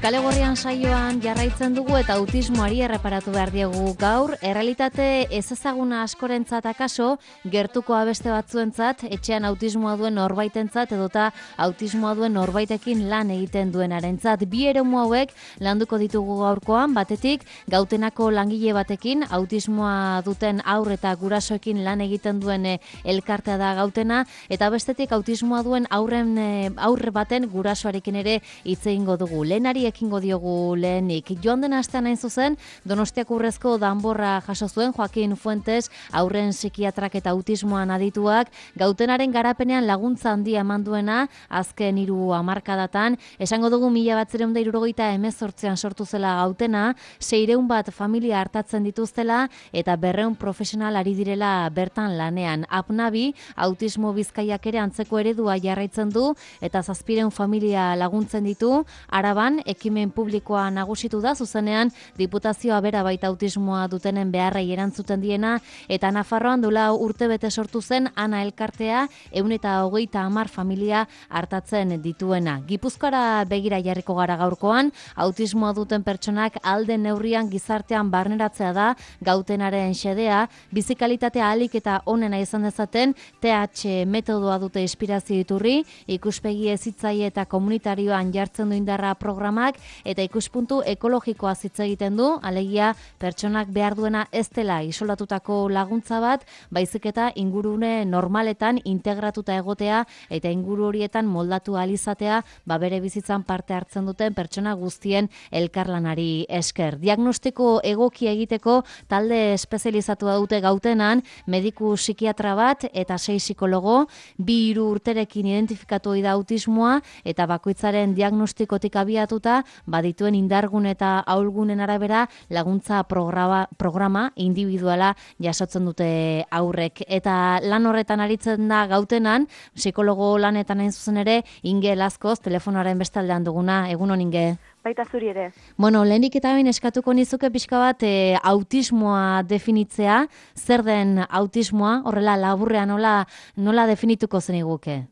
Kale Gorrian saioan jarraitzen dugu eta autismoari erreparatu behar diegu gaur. Errealitate ezezaguna askorentzat akaso, gertuko abeste batzuentzat, etxean autismoa duen norbaitentzat edota autismoa duen norbaitekin lan egiten duenarentzat. Bi eremu hauek landuko ditugu gaurkoan, batetik Gautenako langile batekin, autismoa duten haur eta gurasoekin lan egiten duen elkartea da Gautena, eta bestetik autismoa duen aurre baten gurasoarekin ere hitz egingo dugu. Lehenari ekingo diogu lehenik. Joan den astean hain zuzen, Donostiako Urrezko danborra jaso zuen Joaquin Fuentes, aurren psikiatrak eta autismoan adituak, Gautenaren garapenean laguntza handia eman duena, azken 3 hamarkadatan, esango dugu 1978an sortu zela Gautena, 600 bat familia hartatzen dituztela eta 200 profesional ari direla bertan lanean. Apnabi, autismo Bizkaiak ere antzeko eredua jarraitzen du eta 700 familia laguntzen ditu. Araban, ekimen publikoa nagusitu da, zuzenean Diputazioa bera baita autismoa dutenen beharrei erantzuten diena, eta Nafarroan duela urtebete sortu zen Ana elkartea 130 familia hartatzen dituena. Gipuzkoara begira jarriko gara gaurkoan, autismoa duten pertsonak alde neurrian gizartean barneratzea da Gautenaren xedea, bizikalitatea ahalik eta onena izan dezaten, TH metodoa dute inspirazio iturri, ikuspegi hezitzaile eta komunitarioan jartzen du indarra programak eta ikuspuntu ekologikoa hitz egiten du, alegia pertsonak behar duena ez dela isolatutako laguntza bat, baizik eta ingurune normaletan integratuta egotea eta inguru horietan moldatu ahal izatea, bere bizitzan parte hartzen duten pertsona guztien elkarlanari esker. Diagnostiko egokia egiteko talde espezializatua dute Gautenan, mediku psikiatra bat eta 6 psikologo, 2-3 urterekin identifikatu da autismoa eta bakoitzaren diagnostikotik abiatuta badituen indargun eta ahulgunen arabera laguntza programa individuala jasotzen dute aurrek. Eta lan horretan aritzen da Gautenan, psikologo lanetan hain zuzen ere, Inge Lazkoz, telefonoaren bestaldean duguna. Egunon, Inge? Baita zuri ere. Bueno, lehenik eta bain eskatuko nizuke pixka bat autismoa definitzea, zer den autismoa, horrela laburrean nola definituko zeniguke?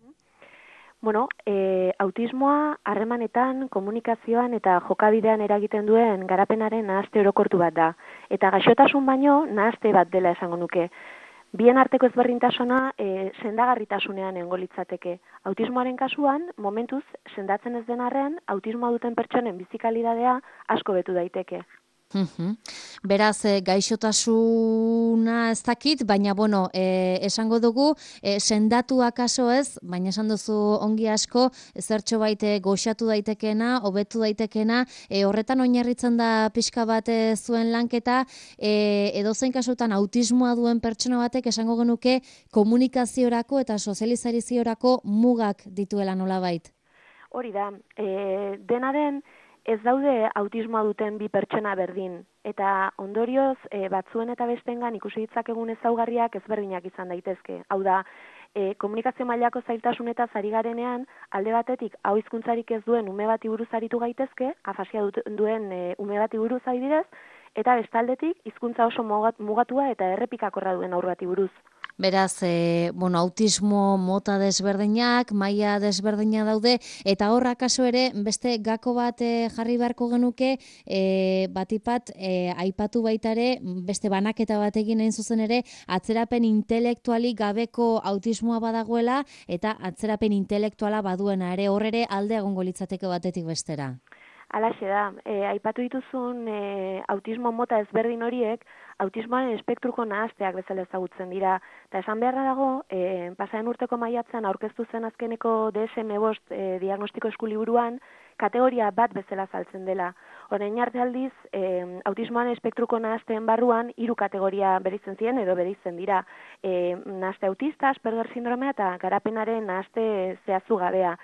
Bueno, autismoa harremanetan, komunikazioan eta jokabidean eragiten duen garapenaren nahaste orokortu bat da. Eta gaixotasun baino nahaste bat dela esango nuke. Bien arteko ezberdintasuna sendagarritasunean egongo litzateke. Autismoaren kasuan, momentuz sendatzen ez den arren, autismoa duten pertsonen bizikalitatea asko betu daiteke. Beraz, gaixotasuna ez dakit, baina esango dugu, sendatu akaso ez, baina esan duzu ongi asko, zertxo baite goxatu daitekena, hobetu daitekena, horretan oinarritzen da pixka bat zuen lanketa, edozein kasutan autismoa duen pertsona batek esango genuke komunikaziorako eta sozializariziorako mugak dituela nolabait. Hori da, dena den, ez daude autismoa duten bi pertsona berdin, eta ondorioz batzuen eta bestengan ikusi ditzakegun ezaugarriak ezberdinak izan daitezke. Hau da, komunikazio mailako zailtasunetaz ari garenean, alde batetik hau hizkuntzarik ez duen ume bati buruz aritu gaitezke, afasia duen ume bati buruz adibidez, eta bestaldetik hizkuntza oso mugatua eta errepikakorra duen haur bati buruz. Beraz, autismo mota desberdinak, maila desberdina daude, eta hor akaso ere beste gako bat jarri beharko genuke, batipat aipatu baita ere, beste banaketa bat egin hain zuzen ere, atzerapen intelektualik gabeko autismoa badagoela, eta atzerapen intelektuala baduena ere, hor ere alde egongo litzateke batetik bestera. Halaxe da, aipatu dituzun autismo mota ezberdin horiek, autismoaren espektruko nahasteak bezala ezagutzen dira. Eta esan beharra dago, pasaren urteko maiatzean aurkeztu zen azkeneko DSM-5 diagnostiko eskuliburuan, kategoria bat bezala saltzen dela. Orain arte aldiz, autismoaren espektruko nahasteen barruan 3 kategoria bereizten ziren edo bereizten dira. Nahaste autista, Asperger sindromea eta garapenaren nahaste zehaztu gabea.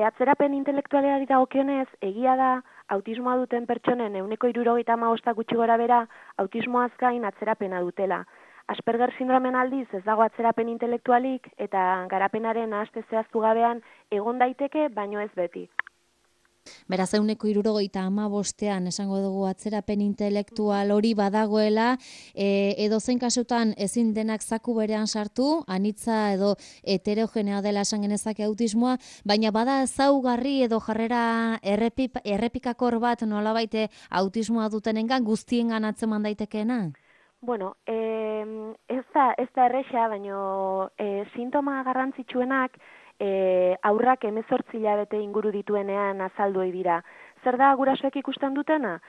Atzerapen intelektualari dagokionez, egia da, autismoa duten pertsonen 75% gutxi gora bera, autismoaz gain atzerapena dutela. Asperger sindromen aldiz ez dago atzerapen intelektualik eta garapenaren nahaste zehaztu gabean egon daiteke, baino ez beti. Beraz, 75%an esango dugu atzerapen intelektual hori badagoela, edozein kasutan ezin denak zaku berean sartu, anitza edo heterogenea dela esan genezake autismoa, baina bada ezaugarri edo jarrera errepikakor bat nolabait autismoa dutenengan guztiengan atzeman daitekeena? Bueno, ez da erresa, baino sintoma garrantzitsuenak aurrak 18 hilabete inguru dituenean azaldu ohi dira. Zer da gurasoek ikusten dutena?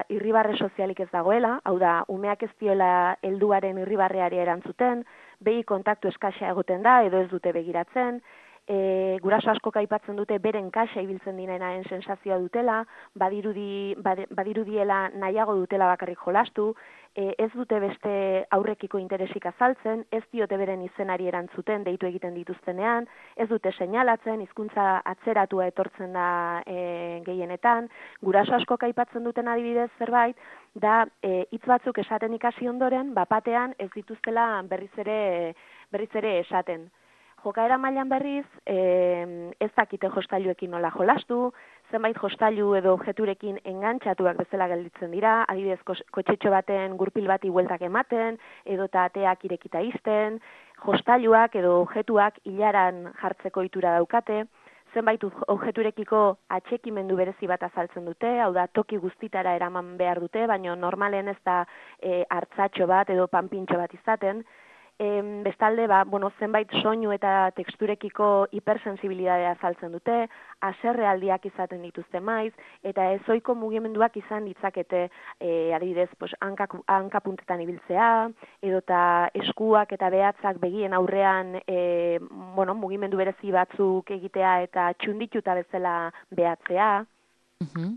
Irribarre sozialik ez dagoela, hau da, umeak ez diola helduaren irribarreari erantzuten, begi kontaktu eskaxa egoten da edo ez dute begiratzen, guraso askok aipatzen dute beren kaxa ibiltzen direnaren sensazioa dutela, badirudiela nahiago dutela bakarrik jolastu, ez dute beste aurrekiko interesik azaltzen, ez diote beren izenari erantzuten deitu egiten dituztenean, ez dute seinalatzen, hizkuntza atzeratua etortzen da gehienetan, guraso askok aipatzen duten adibidez zerbait, da hitz batzuk esaten ikasi ondoren, bapatean ez dituztela berriz ere esaten. Jokaera mailan berriz, ez dakite jostailuekin nola jolastu, zenbait jostailu edo objeturekin engantxatuak bezala gelditzen dira, adibidez kotxetxo baten gurpil bati bueltak ematen, edota ateak irekita izten, jostailuak edo objetuak ilaran jartzeko ohitura daukate, zenbait objeturekiko atxekimendu berezi bat azaltzen dute, hau da toki guztitara eraman behar dute, baina normalen ez da hartzatxo bat edo panpintxo bat izaten. Bestalde, zenbait soinu eta teksturekiko hipersensibilidadea azaltzen dute, haserrealdiak izaten dituzte maiz, eta ezoiko mugimenduak izan ditzakete, adibidez, hankapuntetan ibiltzea, edota eskuak eta behatzak begien aurrean mugimendu berezi batzuk egitea eta txundituta bezala behatzea.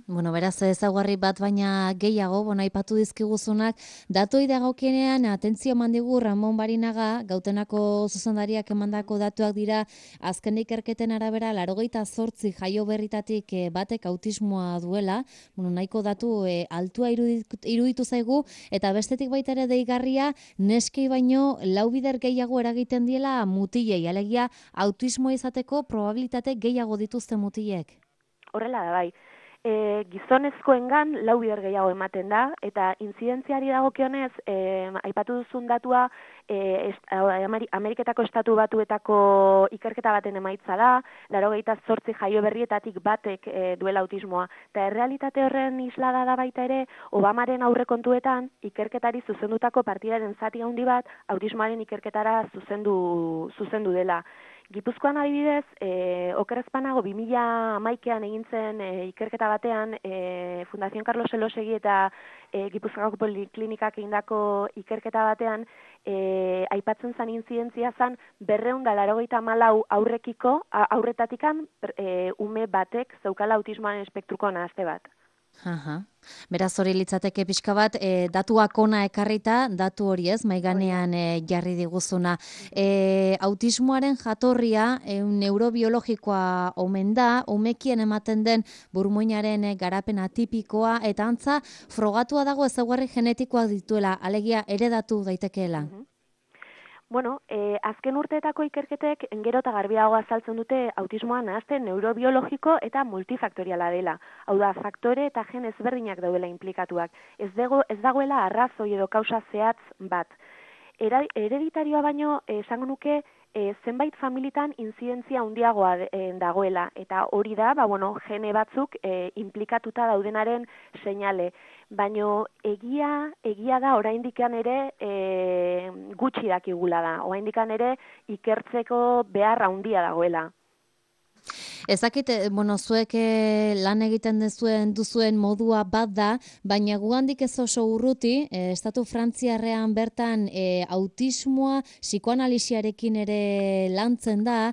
Bueno, beraz ezaugarri bat baina gehiago, aipatu dizkiguzunak, datoi dagokienean atentzio eman digu Ramon Barinaga, Gautenako zuzendariak emandako datuak dira, azken ikerketen arabera 88 jaio berritatik batek autismoa duela, nahiko datu altua iruditu zaigu, eta bestetik baita ere deigarria, neskei baino 4 bider gehiago eragiten diela mutilei, alegia autismoa izateko probabilitate gehiago dituzte mutilek. Horrela da bai. Gizonezkoengan 4 bider gehiago ematen da, eta intzidentziari dagokionez, aipatu duzun datua, Ameriketako estatu batuetako ikerketa baten emaitza da, 88 jaio berrietatik batek duela autismoa. Eta errealitate horren islada da baita ere, Obamaren aurrekontuetan ikerketari zuzendutako partidaren zati handi bat, autismoaren ikerketara zuzendu dela. Gipuzkoan adibidez, okerrezpanago 2011an egin zen ikerketa batean, Fundación Carlos Elosegui eta Gipuzkoako Poliklinikak egindako ikerketa batean, aipatzen zen intzidentzia zen 284 aurretatikan ume batek zeukala autismoaren espektruko nahazte bat. Beraz hori litzateke pixka bat, datuak ona ekarrita, datu hori ez, maiganean jarri diguzuna. Autismoaren jatorria, neurobiologikoa omen da, umekien ematen den burmuinaren garapen atipikoa, eta antza, frogatua dago ezaugarri genetikoak dituela, alegia heredatu daitekeela. Bueno, azken urteetako ikerketek gero eta garbiago azaltzen dute autismoa nahazte neurobiologiko eta multifaktoriala dela. Hau da, faktore eta gen ezberdinak daudela implikatuak. Ez dagoela arrazoi edo kausa zehatz bat. Hereditarioa baino, esango nuke, zenbait familitan inzidentzia handiagoa dagoela, eta hori da, gene batzuk implikatuta daudenaren seinale. Baina egia da oraindikan ere gutxi dakigula da, oraindikan ere ikertzeko behar handia dagoela. Ezakit, zuek lan egiten duzuen modua bat da, baina gugandik ez oso urruti, estatu frantziarrean bertan autismoa psikoanalisiarekin ere lantzen da,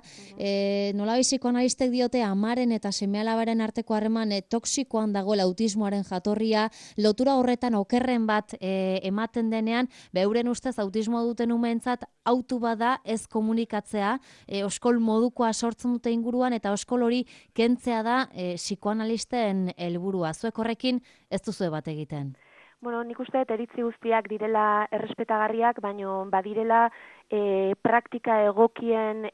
nolabai psikoanalistek diote amaren eta seme-alabaren arteko harreman toxikoan dagoela autismoaren jatorria, lotura horretan okerren bat ematen denean, euren ustez autismoa duten umeentzat autu bada ez komunikatzea, oskol modukoa sortzen dute inguruan, eta oskol hori kentzea da psikoanalisten helburua. Zuek horrekin ez duzue bat egiten. Nik uste iritzi guztiak direla errespetagarriak, baino badirela praktika egokien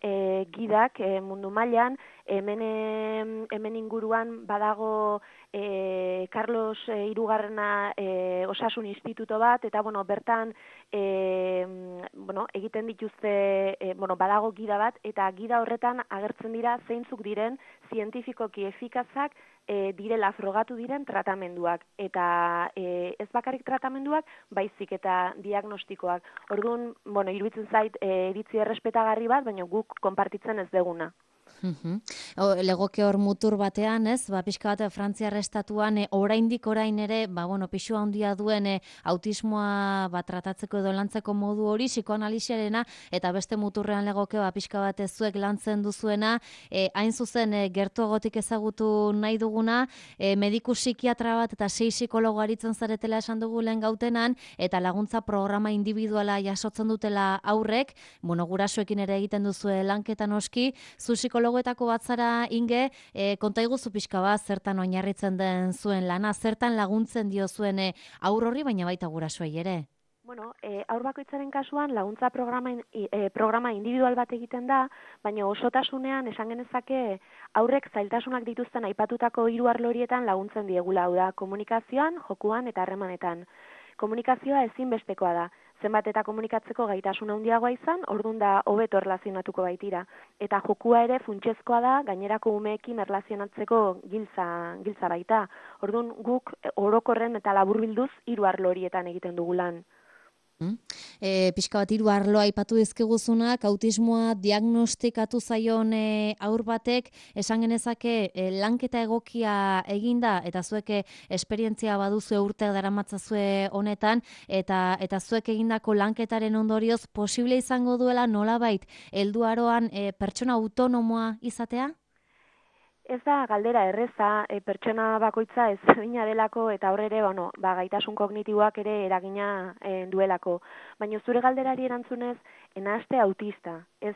gidak mundu mailan, hemen inguruan badago Carlos Hirugarrena osasun instituto bat, eta bertan egiten dituzte, badago gida bat, eta gida horretan agertzen dira zeintzuk diren zientifikoki efikazak direla frogatu diren tratamenduak, eta ez bakarrik tratamenduak, baizik eta diagnostikoak. Orduan, iruditzen zait iritzi errespetagarri bat, baina guk konpartitzen ez deguna. Legoke hor mutur batean, ez? Pixka bat Frantziar estatuan oraindik orain ere, pisu handia duen autismoa tratatzeko edo lantzeko modu hori psikoanalisiarena, eta beste muturrean legoke pixka bat zuek lantzen duzuena, hain zuzen gertuagotik ezagutu nahi duguna, mediku psikiatra bat eta 6 psikologo aritzen zaretela esan dugu lehen gautenan, eta laguntza programa individuala jasotzen dutela aurrek, gurasoekin ere egiten duzue lanketa noski, zu psikologoetako bat zara, Inge, konta iguzu pixka bat zertan oinarritzen den zuen lana, zertan laguntzen dio zuen aur horri, baina baita gurasoei ere. Haur bakoitzaren kasuan laguntza programa individual bat egiten da, baina osotasunean esan genezake aurrek zailtasunak dituzten aipatutako 3 arlo horietan laguntzen diegula, hau da, komunikazioan, jokuan eta harremanetan. Komunikazioa ezinbestekoa da. Zenbat eta komunikatzeko gaitasun handiagoa izan, ordun da hobeto erlazionatuko baitira. Eta jokua ere funtsezkoa da, gainerako umeekin erlazionatzeko giltza baita. Ordun guk orokorren eta laburbilduz 3 arlo horietan egiten dugu lan. Pixka bat 3 arlo aipatu dizkiguzunak, autismoa diagnostikatu zaion aur batek, esan genezake lanketa egokia eginda, eta zuek esperientzia baduzu urteak daramatzazue honetan, eta zuek egindako lanketaren ondorioz posible izango duela nolabait helduaroan pertsona autonomoa izatea? Ez da galdera erreza, pertsona bakoitza ezberdina delako eta horre ere, gaitasun kognitiboak ere eragina duelako. Baina zure galderari erantzunez, nahaste autista, ez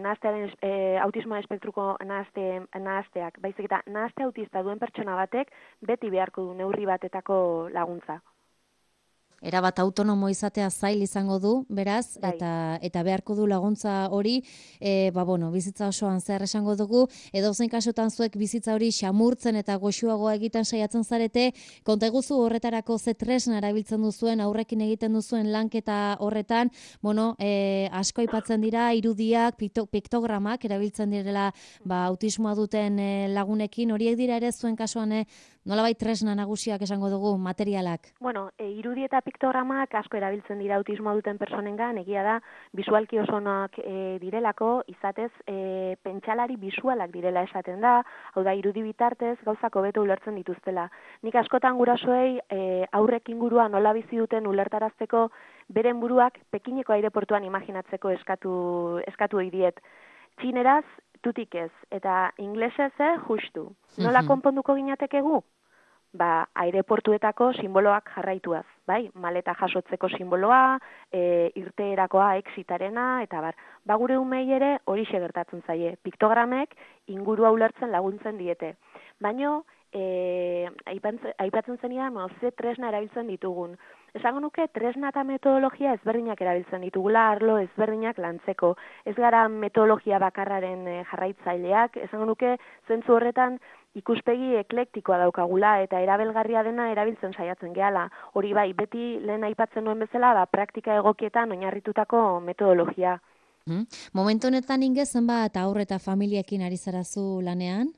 nahastearen autismoa espektruko nahasteak, baizik eta nahaste autista duen pertsona batek beti beharko du neurri batetako laguntza. Erabat autonomo izatea zail izango du, beraz, eta beharko du laguntza hori, bizitza osoan zer esango dugu, edo zein kasutan zuek bizitza hori xamurtzen eta goxuagoa egiten saiatzen zarete, konta eguzu horretarako ze tresna erabiltzen duzuen, aurrekin egiten duzuen lanketa horretan, asko aipatzen dira, irudiak, piktogramak erabiltzen direla autismoa duten lagunekin, horiek dira ere zuen kasuan nolabait tresna nagusiak esango dugu, materialak? Irudi eta piktogramak asko erabiltzen dira autismoa duten personengan, egia da, bisualki oso onak direlako, izatez, pentsalari bisualak direla esaten da, hau da, irudi bitartez gauzak hobeto ulertzen dituztela. Nik askotan gurasoei aurrek ingurua nola bizi duten ulertarazteko beren buruak Pekineko aireportuan imaginatzeko eskatu diet. Txineraz, tutik ez, eta inglesez justu. Nola konponduko ginatekegu? Aireportuetako simboloak jarraituaz, bai? Maleta jasotzeko simboloa, irteerakoa, exitarena, eta bar. Gure umei ere horixe gertatzen zaie. Piktogramek ingurua ulertzen laguntzen diete. Baina, aipatzen zenidan, ze tresna erabiltzen ditugun. Esango nuke, tresna eta metodologia ezberdinak erabiltzen ditugula, arlo ezberdinak lantzeko. Ez gara metodologia bakarraren jarraitzaileak, esango nuke, zentzu horretan, ikuspegi eklektikoa daukagula eta erabelgarria dena erabiltzen saiatzen gehala. Hori bai, beti lehen aipatzen nuen bezala, praktika egokietan oinarritutako metodologia. Momentu honetan Inge, zenbat aurre eta familiekin ari zarazu lanean?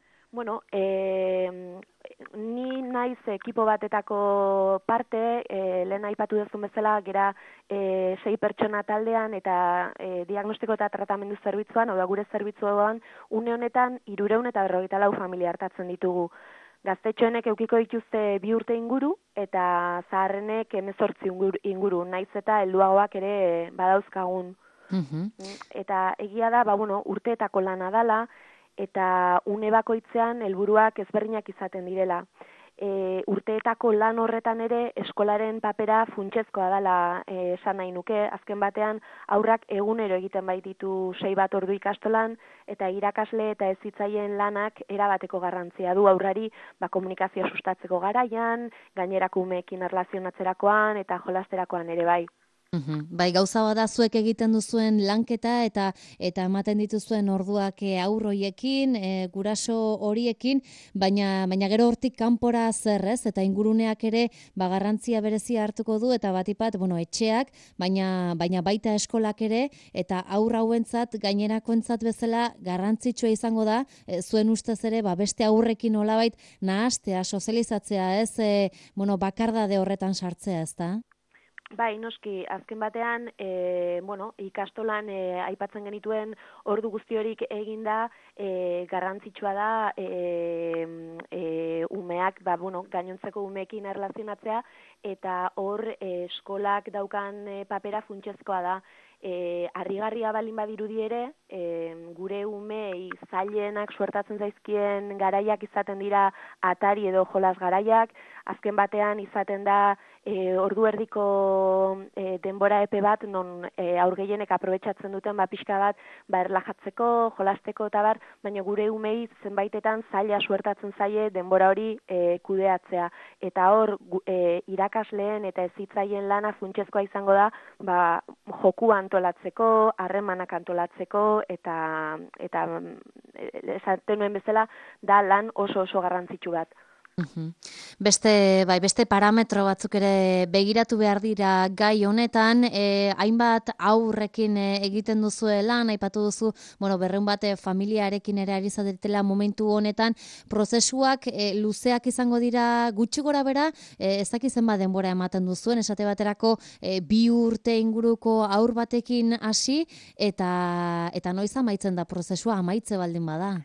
Ni naiz ekipo batetako parte, lehen aipatu duzun bezala, gera 6 pertsona taldean eta diagnostiko eta tratamendu zerbitzuan, hau da gure zerbitzuan, une honetan 354 familia hartatzen ditugu. Gaztetxoenek eukiko dituzte 2 urte inguru eta zaharrenek 18 inguru, naiz eta helduagoak ere badauzkagun. Eta egia da, urteetako lana dala, eta une bakoitzean helburuak ezberdinak izaten direla. Urteetako lan horretan ere eskolaren papera funtsezkoa dela esan nahi nuke, azken batean aurrak egunero egiten baititu 6 bat ordu ikastolan, eta irakasle eta hezitzaien lanak erabateko garrantzia du aurrari komunikazioa sustatzeko garaian, gainerako umeekin erlazionatzerakoan eta jolasterakoan ere bai. Bai, gauza bada zuek egiten duzuen lanketa eta ematen dituzuen orduak aurroiekin, guraso horiekin, baina gero hortik kanpora zer, ez? Eta inguruneak ere garrantzia berezia hartuko du eta batipat, etxeak, baina baita eskolak ere eta aurra hauentzat gainerakoentzat bezala garrantzitsua izango da, zuen ustez ere, beste aurrekin nolabait nahastea, sozializatzea, ez? Bakardade horretan sartzea, ezta? Bai, noski, azken batean, ikastolan aipatzen genituen ordu guzti horik eginda, garrantzitsua da umeak, gainontzeko umeekin erlazionatzea, eta hor eskolak daukan papera funtsezkoa da. Harrigarria balin badirudi ere, gure umei zailenak suertatzen zaizkien garaiak izaten dira atari edo jolas garaiak, azken batean izaten da ordu erdiko denbora epe bat, non aur gehienek aprobetxatzen duten pixka bat, erlajatzeko, jolasteko eta baina gure umei zenbaitetan zaila suertatzen zaie denbora hori kudeatzea. Eta hor, irakasleen eta hezitzaien lana funtsezkoa izango da, joku antolatzeko, harremanak antolatzeko, eta esaten nuen bezala, da lan oso garrantzitsu bat. Beste parametro batzuk ere begiratu behar dira gai honetan, hainbat aurrekin egiten duzuela, aipatu duzu, 200 bat familiarekin ere ari zaretela momentu honetan, prozesuak luzeak izango dira gutxi gora bera, ez dakiz zenbat denbora ematen duzuen, esate baterako 2 urte inguruko aur batekin hasi, eta noiz amaitzen da prozesua, amaitze baldin bada?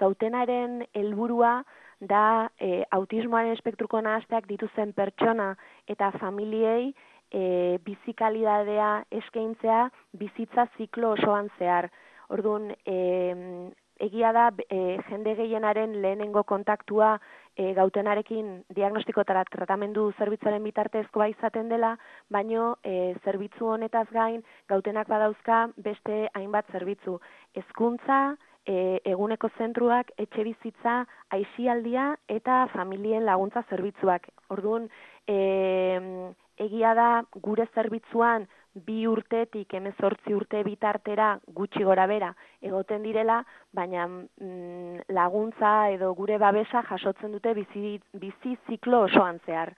Gautenaren helburua da autismoaren espektruko nahasteak dituzen pertsona eta familiei bizikalidadea eskaintzea bizitza ziklo osoan zehar. Orduan, egia da jende gehienaren lehenengo kontaktua gautenarekin diagnostiko eta tratamendu zerbitzuaren bitartezkoa izaten dela, baino zerbitzu honetaz gain gautenak badauzka beste hainbat zerbitzu. Hezkuntza, eguneko zentruak, etxebizitza, aisialdia eta familien laguntza zerbitzuak. Orduan, egia da gure zerbitzuan 2 urtetik 18 urte bitartera gutxi gora bera egoten direla, baina laguntza edo gure babesa jasotzen dute bizi ziklo osoan zehar.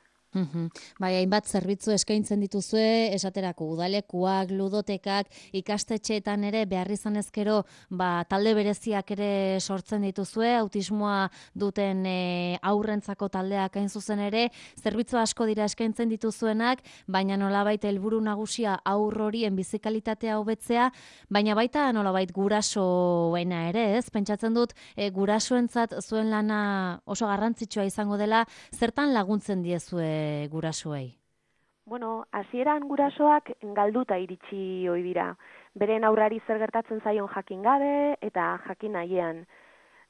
Bai, hainbat zerbitzu eskaintzen dituzue, esaterako udalekuak, ludotekak, ikastetxeetan ere behar izan ezkero talde bereziak ere sortzen dituzue, autismoa duten aurrentzako taldeak hain zuzen ere, zerbitzu asko dira eskaintzen dituzuenak, baina nolabait helburu nagusia aur horien bizikalitatea hobetzea, baina baita nolabait gurasoena ere, ez? Pentsatzen dut gurasoentzat zuen lana oso garrantzitsua izango dela, zertan laguntzen diezue gurasoei? Hasieran gurasoak galduta iritsi ohi dira. Beren aurrari zer gertatzen zaion jakin gabe eta jakin nahiean.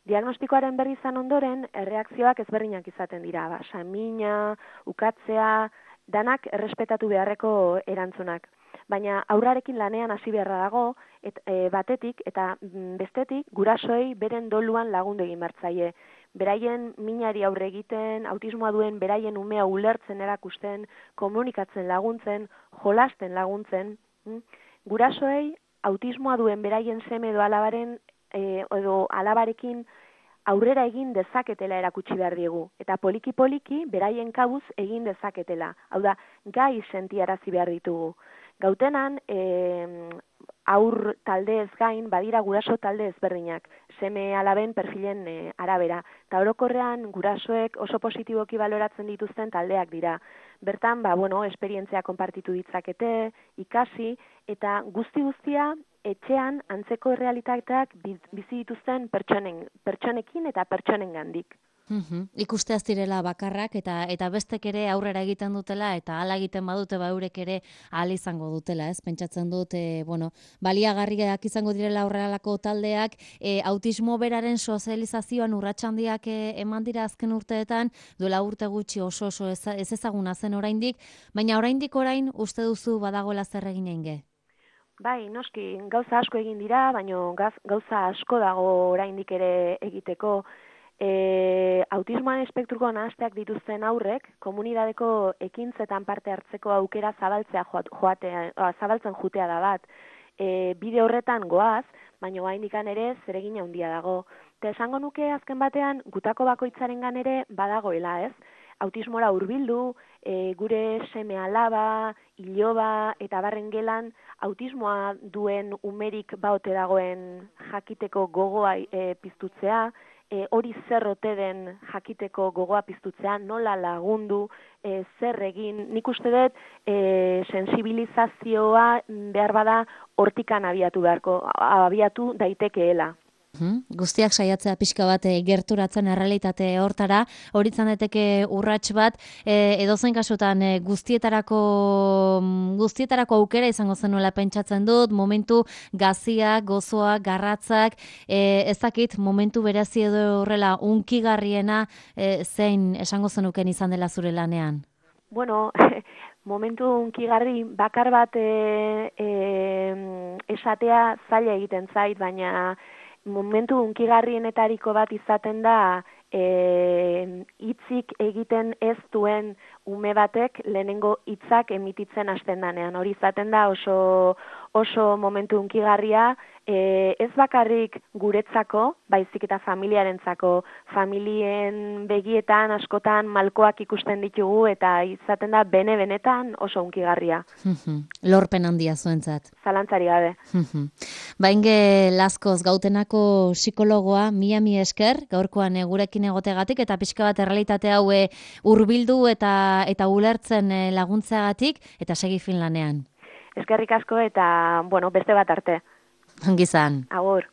Diagnostikoaren berri izan ondoren, erreakzioak ezberdinak izaten dira. Samina, ukatzea, danak errespetatu beharreko erantzunak. Baina aurrarekin lanean hasi beharra dago, batetik eta bestetik gurasoei beren doluan lagundu egin bertzaie. Beraien minari aurre egiten, autismoa duen beraien umea ulertzen erakusten, komunikatzen laguntzen, jolasten laguntzen. Gurasoei autismoa duen beraien seme edo alabaren edo alabarekin aurrera egin dezaketela erakutsi behar diegu. Eta poliki-poliki beraien kabuz egin dezaketela. Hau da, gai sentiarazi behar ditugu. Gautenan, aur taldez gain, badira guraso talde ezberdinak, seme alaben perfilen arabera. Eta orokorrean gurasoek oso positiboki baloratzen dituzten taldeak dira. Bertan, esperientzia konpartitu ditzakete, ikasi, eta guzti-guztia etxean antzeko errealitateak bizi dituzten pertsonekin eta pertsonengandik. Ikusteaz direla bakarrak eta bestek ere aurrera egiten dutela eta hala egiten badute eurek ere ahal izango dutela, ez? Pentsatzen dut, baliagarriak izango direla aurreralako taldeak, autismo beraren sozializazioan urrats handiak eman dira azken urteetan, duela urte gutxi oso ez ezaguna zen oraindik, baina oraindik uste duzu badagoela zer egin einge? Bai, noski, gauza asko egin dira, baina gauza asko dago oraindik ere egiteko. Autismoan espektruko nahasteak dituzten aurrek, komunidadeko ekintzetan parte hartzeko aukera zabaltzen jutea da bat. Bide horretan goaz, baina oraindikan ere zeregin handia dago. Eta esango nuke azken batean, gutako bakoitzarengan ere badagoela, ez? Autismora hurbildu, gure seme alaba, iloba eta barren gelan autismoa duen umerik baote dagoen jakiteko gogoa piztutzea, hori zer ote den jakiteko gogoa piztutzea, nola lagundu, zer egin. Nik uste dut sensibilizazioa behar bada hortikan abiatu daitekeela. Guztiak saiatzea pixka bat gerturatzen errealitate hortara, hori izan daiteke urrats bat, edozein kasutan guztietarako aukera izango zenuela pentsatzen dut, momentu gaziak, gozoak, garratzak, ez dakit momentu berezi edo horrela unkigarriena zein esango zenuken izan dela zure lanean? Bueno, momentu unkigarri bakar bat esatea zaila egiten zait, baina momentu unkigarrienetariko bat izaten da hitzik egiten ez duen ume batek lehenengo hitzak emititzen hasten danean. Hori izaten da oso momentu unkigarria, ez bakarrik guretzako, baizik eta familiarentzako. Familien begietan askotan malkoak ikusten ditugu eta izaten da benetan oso unkigarria. Lorpen handia zuentzat. Zalantzari gabe. Bainge Lazkoz Gautenako psikologoa, mila esker, gaurkoan gurekin egotegatik eta pixka bat errealitate hau hurbildu eta ulertzen laguntzeagatik eta segi fin lanean. Eskerrik asko eta, beste bat arte. Ongi izan. Agur.